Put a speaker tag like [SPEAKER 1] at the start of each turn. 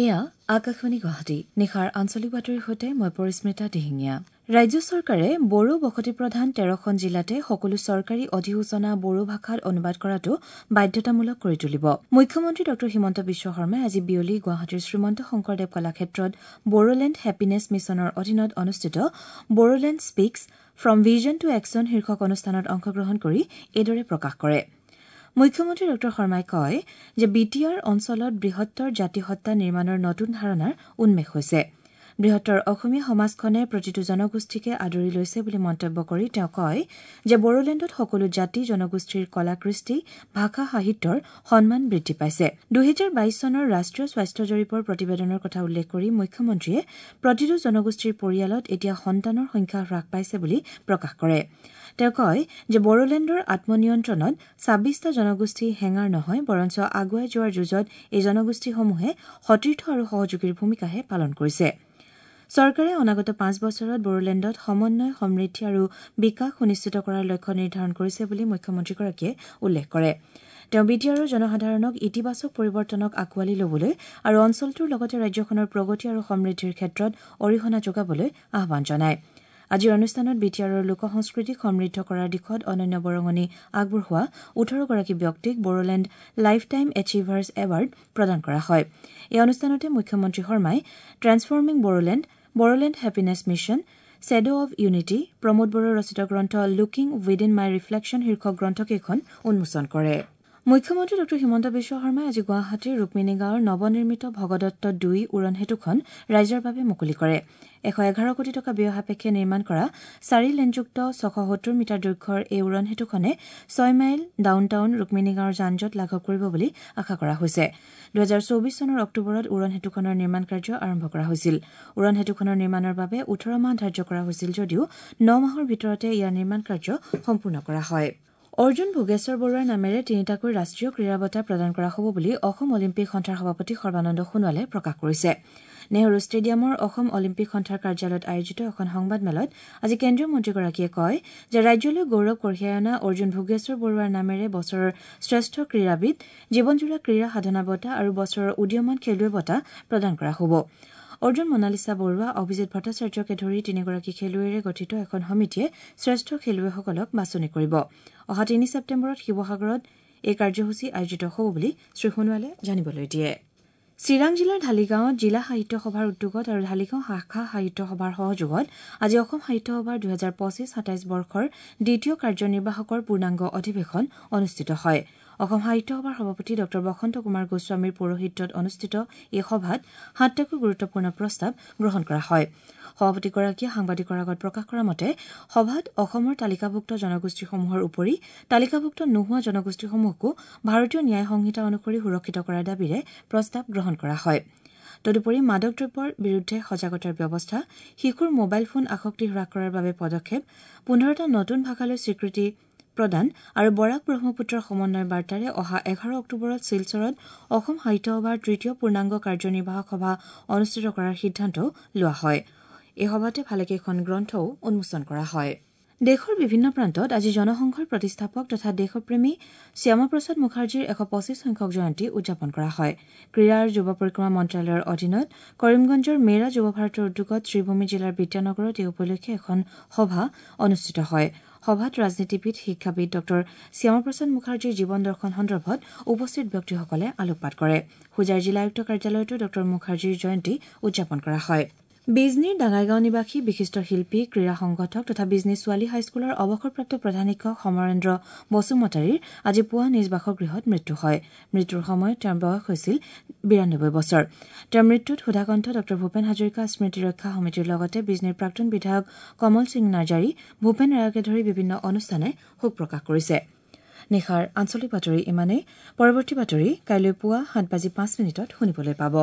[SPEAKER 1] এয়া আকাশবাণী গুৱাহাটী। নিশাৰ আঞ্চলিক বাতৰিৰ সৈতে মই পৰিস্মিতা দিহিঙীয়া। ৰাজ্য চৰকাৰে বড়ো বসতিপ্ৰধান ১৩খন জিলাতে সকলো চৰকাৰী অধিসূচনা বড়ো ভাষাত অনুবাদ কৰাটো বাধ্যতামূলক কৰি তুলিব। মুখ্যমন্ত্ৰী ডঃ হিমন্ত বিশ্ব শৰ্মাই আজি বিয়লি গুৱাহাটীৰ শ্ৰীমন্ত শংকৰদেৱ কলাক্ষেত্ৰত বড়োলেণ্ড হেপিনেছ মিছনৰ অধীনত অনুষ্ঠিত Bodoland speaks from vision to action শীৰ্ষক অনুষ্ঠানত অংশগ্ৰহণ কৰি এইদৰে প্ৰকাশ কৰে। মুখ্যমন্ত্ৰী ডঃ শৰ্মাই কয় যে বি টি আৰ অঞ্চলত বৃহত্তৰ জাতিসত্তা নিৰ্মাণৰ নতুন ধাৰণাৰ উন্মেষ হৈছে। বৃহত্তৰ অসমীয়া সমাজখনে প্ৰতিটো জনগোষ্ঠীকে আদৰি লৈছে বুলি মন্তব্য কৰি তেওঁ কয় যে বড়োলেণ্ডত সকলো জাতি জনগোষ্ঠীৰ কলা কৃষ্টি, ভাষা, সাহিত্যৰ সন্মান বৃদ্ধি পাইছে। ২০২২ চনৰ ৰাষ্ট্ৰীয় স্বাস্থ্য জৰীপৰ প্ৰতিবেদনৰ কথা উল্লেখ কৰি মুখ্যমন্ত্ৰীয়ে প্ৰতিটো জনগোষ্ঠীৰ পৰিয়ালত এতিয়া সন্তানৰ সংখ্যা হ্ৰাস পাইছে বুলি প্ৰকাশ কৰে। তেওঁ কয় যে বড়োলেণ্ডৰ আত্মনিয়ন্ত্ৰণত ২৬টা জনগোষ্ঠী হেঙাৰ নহয়, বৰঞ্চ আগুৱাই যোৱাৰ যুঁজত এই জনগোষ্ঠীসমূহে সতীৰ্থ আৰু সহযোগীৰ ভূমিকাহে পালন কৰিছে। চৰকাৰে অনাগত ৫ বছৰত বড়োলেণ্ডত সমন্বয়, সমৃদ্ধি আৰু বিকাশ সুনিশ্চিত কৰাৰ লক্ষ্য নিৰ্ধাৰণ কৰিছে বুলি মুখ্যমন্ত্ৰীগৰাকীয়ে উল্লেখ কৰে। তেওঁ বি টি আৰৰ জনসাধাৰণক ইতিবাচক পৰিৱৰ্তনক আঁকোৱালি ল'বলৈ আৰু অঞ্চলটোৰ লগতে ৰাজ্যখনৰ প্ৰগতি আৰু সমৃদ্ধিৰ ক্ষেত্ৰত অৰিহণা যোগাবলৈ আহ্বান জনায়। আজিৰ অনুষ্ঠানত বি টি আৰৰ লোক সংস্কৃতিক সমৃদ্ধ কৰাৰ দিশত অনন্য বৰঙণি আগবঢ়োৱা ১৮গৰাকী ব্যক্তিক Bodoland life time achievers award প্ৰদান কৰা হয়। এই অনুষ্ঠানতে মুখ্যমন্ত্ৰী শৰ্মাই transforming Bodoland, Bodoland happiness mission, shadow of unity, Pramod বড়োৰ ৰচিত গ্ৰন্থ লুকিং উইদিন my reflection শীৰ্ষক গ্ৰন্থকেইখন উন্মোচন কৰে। মুখ্যমন্ত্ৰী ডঃ হিমন্ত বিশ্ব শৰ্মাই আজি গুৱাহাটীৰ ৰুক্মিণী গাঁৱৰ নৱনিৰ্মিত ভগদত্ত ২ উৰণ সেতুখন ৰাইজৰ বাবে মুকলি কৰে। ১১১ কোটি টকা ব্যয় সাপেক্ষে নিৰ্মাণ কৰা ৪ লেনযুক্ত ৬৭০ মিটাৰ দৈৰ্ঘ্যৰ এই উৰণ সেতুখনে ৬ মাইল ডাউন টাউন ৰুক্মিণী গাঁৱৰ যান জঁট লাঘৱ কৰিব বুলি আশা কৰা হৈছে। ২০২৪ চনৰ অক্টোবৰত উৰণ সেতুখনৰ নিৰ্মাণ কাৰ্য আৰম্ভ কৰা হৈছিল। উৰণ সেতুখনৰ নিৰ্মাণৰ বাবে ১৮ মাহ ধাৰ্য কৰা হৈছিল যদিও ৯ মাহৰ ভিতৰতে ইয়াৰ নিৰ্মাণ কাৰ্য সম্পূৰ্ণ কৰা হয়। অৰ্জুন ভোগেশ্বৰ বৰুৱাৰ নামেৰে তিনিটাকৈ ৰাষ্ট্ৰীয় ক্ৰীড়া বঁটা প্ৰদান কৰা হ'ব বুলি অসম অলিম্পিক সন্থাৰ সভাপতি সৰ্বানন্দ সোণোৱালে প্ৰকাশ কৰিছে। নেহৰু ষ্টেডিয়ামৰ অসম অলিম্পিক সন্থাৰ কাৰ্যালয়ত আয়োজিত এখন সংবাদমেলত আজি কেন্দ্ৰীয় মন্ত্ৰীগৰাকীয়ে কয় যে ৰাজ্যলৈ গৌৰৱ কঢ়িয়াই অনা অৰ্জুন ভোগেশ্বৰ বৰুৱাৰ নামেৰে বছৰৰ শ্ৰেষ্ঠ ক্ৰীড়াবিদ, জীৱনজোৰা ক্ৰীড়া সাধনা বঁটা আৰু বছৰৰ উদীয়মান খেলুৱৈ বঁটা প্ৰদান কৰা হ'ব। অৰ্জুন মনালিছা বৰুৱা, অভিজিৎ ভট্টাচাৰ্যকে ধৰি তিনিগৰাকী খেলুৱৈৰে গঠিত এখন সমিতিয়ে শ্ৰেষ্ঠ খেলুৱৈসকলক বাছনি কৰিব। অহা ৩ ছেপ্টেম্বৰত শিৱসাগৰত এই কাৰ্যসূচী আয়োজিত হ'ব বুলি শ্ৰীসোণোৱালে জানিবলৈ দিয়ে। চিৰাং জিলাৰ ঢালিগাঁৱত জিলা সাহিত্য সভাৰ উদ্যোগত আৰু ঢালিগাঁও শাখা সাহিত্য সভাৰ সহযোগত আজি অসম সাহিত্য সভাৰ ২০২৫-২৭ বৰ্ষৰ দ্বিতীয় কাৰ্যনিৰ্বাহকৰ পূৰ্ণাংগ অধিৱেশন অনুষ্ঠিত হয়। অসম সাহিত্য সভাৰ সভাপতি ডঃ বসন্ত কুমাৰ গোস্বামীৰ পৌৰোহিত্যত অনুষ্ঠিত এই সভাত ৭টাকৈ গুৰুত্বপূৰ্ণ প্ৰস্তাৱ গ্ৰহণ কৰা হয়। সভাপতিগৰাকীয়ে সাংবাদিকৰ আগত প্ৰকাশ কৰা মতে সভাত অসমৰ তালিকাভুক্ত জনগোষ্ঠীসমূহৰ উপৰি তালিকাভুক্ত নোহোৱা জনগোষ্ঠীসমূহকো ভাৰতীয় ন্যায় সংহিতা অনুসৰি সুৰক্ষিত কৰাৰ দাবীৰে প্ৰস্তাৱ গ্ৰহণ কৰা হয়। তদুপৰি মাদক দ্ৰব্যৰ বিৰুদ্ধে সজাগতাৰ ব্যৱস্থা, শিশুৰ মোবাইল ফোন আসক্তি হ্ৰাস কৰাৰ বাবে পদক্ষেপ, ১৫টা নতুন ভাষালৈ স্বীকৃতি প্ৰদান আৰু বৰাক ব্ৰহ্মপুত্ৰৰ সমন্বয় বাৰ্তাৰে অহা ১১ অক্টোবৰত শিলচৰত অসম সাহিত্য সভাৰ তৃতীয় পূৰ্ণাংগ কাৰ্যনিৰ্বাহক সভা অনুষ্ঠিত কৰাৰ সিদ্ধান্তও লোৱা হয়। এই সভাতে ভালেকেইখন গ্ৰন্থও উন্মোচন কৰা হয়। দেশৰ বিভিন্ন প্ৰান্তত আজি জনসংঘৰ প্ৰতিষ্ঠাপক তথা দেশপ্ৰেমী শ্যামাপ্ৰসাদ মুখাৰ্জীৰ ১২৫ সংখ্যক জয়ন্তী উদযাপন কৰা হয়। ক্ৰীড়া আৰু যুৱ পৰিক্ৰমা মন্ত্ৰালয়ৰ অধীনত কৰিমগঞ্জৰ মেৰা যুৱ ভাৰতৰ উদ্যোগত শ্ৰীভূমি জিলাৰ বিদ্যানগৰত এই উপলক্ষে এখন সভা অনুষ্ঠিত হয়। সভাত ৰাজনীতিবিদ, শিক্ষাবিদ ডঃ শ্যামাপ্ৰসাদ মুখাৰ্জীৰ জীৱন দৰ্শন সন্দৰ্ভত উপস্থিত ব্যক্তিসকলে আলোকপাত কৰে। হোজাই জিলা আয়ুক্ত কাৰ্যালয়তো ডঃ মুখাৰ্জীৰ জয়ন্তী উদযাপন কৰা হয়। বিজনীৰ ডাঙাইগাঁও নিবাসী বিশিষ্ট শিল্পী, ক্ৰীড়া সংগঠক তথা বিজনী ছোৱালী হাইস্কুলৰ অৱসৰপ্ৰাপ্ত প্ৰধান শিক্ষক সমৰেন্দ্ৰ বসুমতাৰীৰ আজি পুৱা নিজ বাসগৃহত মৃত্যু হয়। মৃত্যুৰ সময়ত তেওঁৰ বয়স হৈছিল ৯২ বছৰ। তেওঁৰ মৃত্যুত সুধাকণ্ঠ ডঃ ভূপেন হাজৰিকা স্মৃতি ৰক্ষা সমিতিৰ লগতে বিজনীৰ প্ৰাক্তন বিধায়ক কমল সিং নাৰ্জাৰী, ভূপেন ৰায়কে ধৰি বিভিন্ন অনুষ্ঠানে শোক প্ৰকাশ কৰিছে। নিশাৰ আঞ্চলিক বাতৰি ইমানেই। পৰৱৰ্তী বাতৰি কাইলৈ পুৱা ৭:০৫ শুনিবলৈ পাব।